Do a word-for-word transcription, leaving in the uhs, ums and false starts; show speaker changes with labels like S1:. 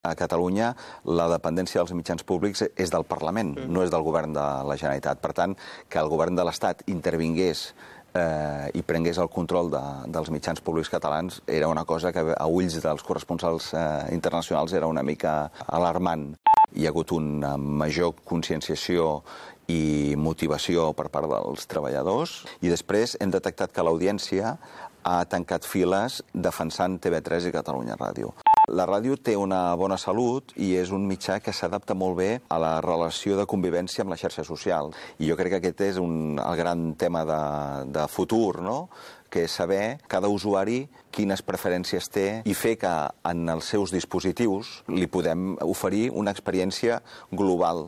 S1: A Catalunya la dependència dels mitjans públics és del Parlament, no és del govern de la Generalitat. Per tant, que el govern de l'Estat intervingués eh, i prengués el control de, dels mitjans públics catalans era una cosa que a ulls dels corresponsals eh, internacionals era una mica alarmant. Hi ha hagut una major conscienciació i motivació per part dels treballadors i després hem detectat que l'audiència ha tancat files defensant T V tres i Catalunya Ràdio. La ràdio té una bona salut i és un mitjà que s'adapta molt bé a la relació de convivència amb la xarxa social. I jo crec que aquest és un, el gran tema de, de futur, no? Que és saber cada usuari quines preferències té i fer que en els seus dispositius li podem oferir una experiència global.